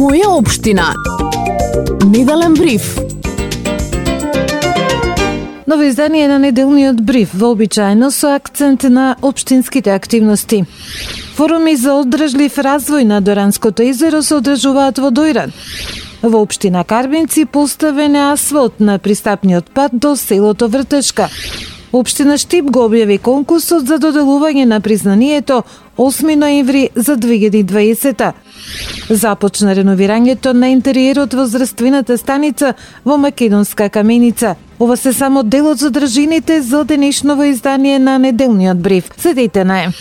Моја општина. Неделен бриф. Ново издание на неделниот бриф, вообичаено со акцент на општинските активности. Форуми за одржлив развој на Доранското езеро се одржуваат во Дојран. Во општина Карбинци поставен е асфалт на пристапниот пат до селото Вртешка. Општина Штип го објави конкурсот за доделување на признанието 8 ноември за 2020. Започна реновирањето на интериерот во здравствената станица во Македонска каменица. Ова се само дел од задржините за денешново издание на неделниот бриф. Следете на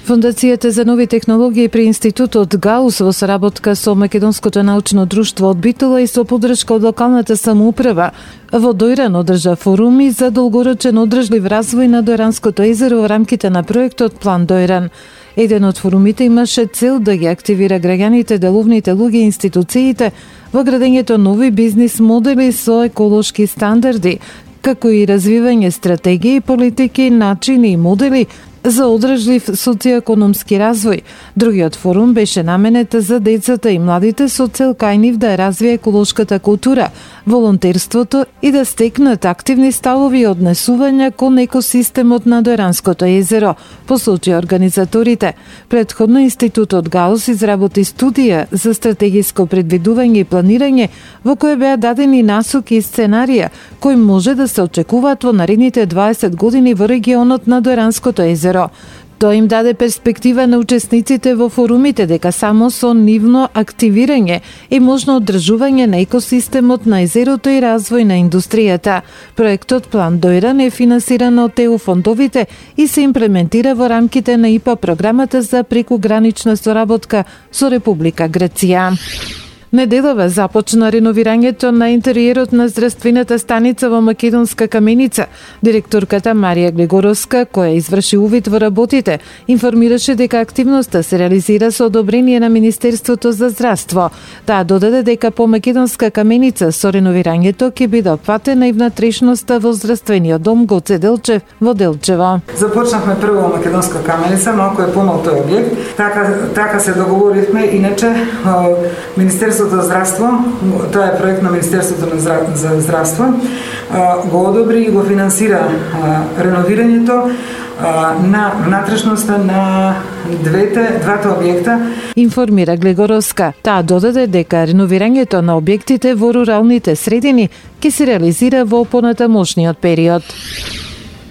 Фондацијата за нови технологии при Институтот Гаус во соработка со Македонското научно друштво од Битола и со поддршка од локалната самоуправа во Дојран одржа форуми за долгорочен одржлив развој на Дојранското езеро во рамките на проектот План Дојран. Еден од форумите имаше цел да ги активира граѓаните, деловните луѓе и институциите во градењето нови бизнис модели со еколошки стандарди, како и развивање стратегии, политики, начини и модели за одржлив социјоекономски развој. Другиот форум беше наменет за децата и младите со цел кај нив да развие еколошката култура, волонтерството и да стекнат активни ставови и однесувања кон екосистемот на Дојранското езеро, посочи организаторите. Претходно Институтот Гаус изработи студија за стратегиско предвидување и планирање во која беа дадени насоки и сценарија кои може да се очекуваат во наредните 20 години во регионот на Дојранското езеро. Тоа им даде перспектива на учесниците во форумите дека само со нивно активирање е можно одржување на екосистемот на езерото и развој на индустријата. Проектот План Дојран е финансиран од ЕУ фондовите и се имплементира во рамките на ИПА програмата за прекугранична соработка со Република Грција. Неделава започна реновирањето на интериерот на здравствената станица во Македонска каменица. Директорката Марија Глегоровска, која изврши увид во работите, информираше дека активноста се реализира со одобрение на Министерството за здравство. Таа додаде дека по Македонска каменица со реновирањето ќе биде опфатена и внатрешноста во здравствениот дом Гоце Делчев во Делчево. Започнавме прво во Македонска каменица, малку е помал тој објект. Така се договоривме, иначе Министерството за здравство, тоа е проект на Министерството за здравство, го одобри и го финансира реновирањето на внатрешноста на двата објекта. Информира Глегоровска. Таа додаде дека реновирањето на објектите во руралните средини ќе се реализира во понатамошниот период.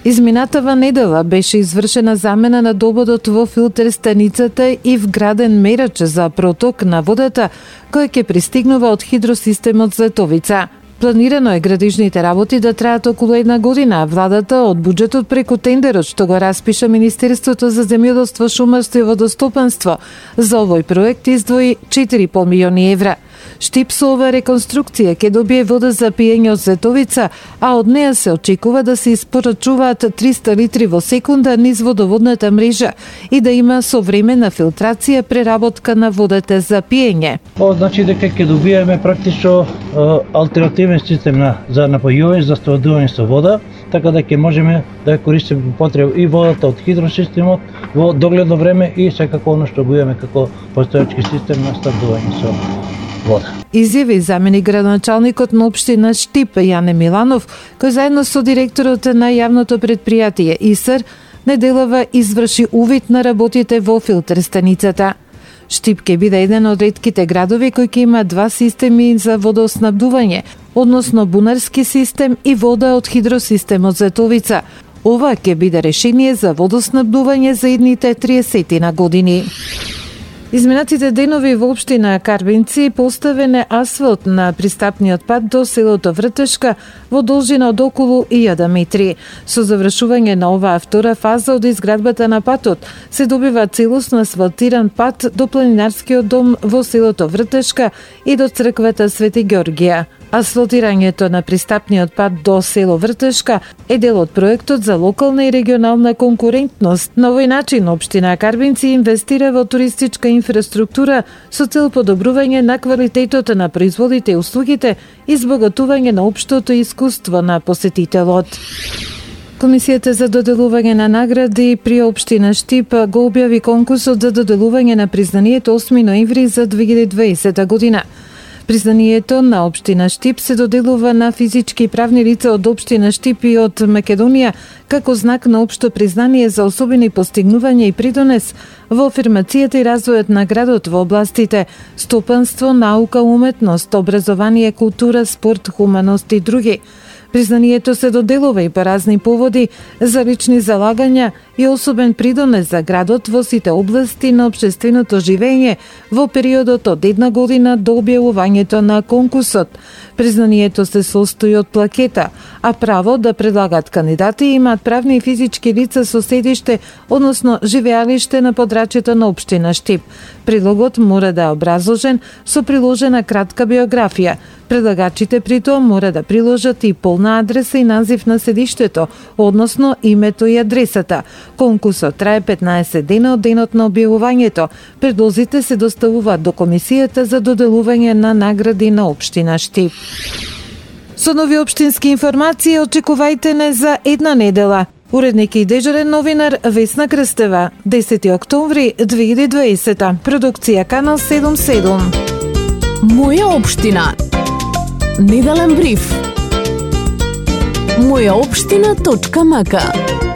Изминатава недела беше извршена замена на дободот во филтер станицата и вграден мерач за проток на водата, кој ќе пристигнува од хидросистемот Златовица. Планирано е градежните работи да траат околу 1 година, а владата од буџетот преку тендерот што го распиша Министерството за земјоделство, шумарство и водостопанство за овој проект издвои 4,5 милиони евра. Штип со ова реконструкција ќе добие вода за пиење од Златовица, а од неа се очекува да се испорачуваат 300 литри во секунда низ водоводната мрежа и да има современа филтрација преработка на водата за пиење. Ова значи дека ќе добиеме практично алтернативен систем за напојување, за снабдување со вода, така да ќе можеме да користиме по потреба и водата од хидросистемот во догледно време и секако она што го имаме како постоечки систем на снабдување со вода. Изјави заменик градоначалникот на општина Штип Јане Миланов, кој заедно со директорот на јавното предпријатие ИСР неделава изврши увид на работите во филтер станицата. Штип ќе биде еден од ретките градови кои ќе има два системи за водоснабдување, односно бунарски систем и вода од хидросистемот Златовица. Ова ќе биде решение за водоснабдување за идните 30 години. Изминатите денови во општина Карбинци поставен е асфалт на пристапниот пат до селото Вртешка во должина од околу 1000 метри. Со завршување на оваа втора фаза од изградбата на патот се добива целосно асфалтиран пат до планинарскиот дом во селото Вртешка и до црквата Свети Ѓоргија. Асфалтирањето на пристапниот пат до село Вртешка е дел од проектот за локална и регионална конкурентност. На овој начин општина Карбинци инвестира во туристичка инфраструктура со цел подобрување на квалитетот на производите и услугите и збогатување на општото искуство на посетителот. Комисијата за доделување на награди при општина Штип го објави конкурсот за доделување на признанието 8 ноември за 2020 година. Признанието на општина Штип се доделува на физички и правни лица од општина Штип и од Македонија како знак на општо признание за особени постигнувања и придонес во афирмацијата и развојот на градот во областите стопанство, наука, уметност, образование, култура, спорт, хуманост и други. Признанието се доделува и по разни поводи за лични залагања и особен придонес за градот во сите области на општественото живење во периодот од 1 година до објавувањето на конкурсот. Признанието се состои од плакета, а право да предлагат кандидати имаат правни и физички лица со седиште, односно живеалиште на подрачјето на општина Штип. Предлогот мора да е образложен со приложена кратка биографија. Предлагачите при тоа мора да приложат и полна адреса и назив на седиштето, односно името и адресата. Конкурсот трае 15 дена од денот на објавувањето. Предлозите се доставуваат до Комисијата за доделување на награди на општина Штип. Со нови општински информации очекувајте не за една недела. Уредник и дежурен новинар Весна Крстева, 10 октомври 2020. Продукција Канал 77. Моја општина. Неделен бриф. Мојаопштина.мк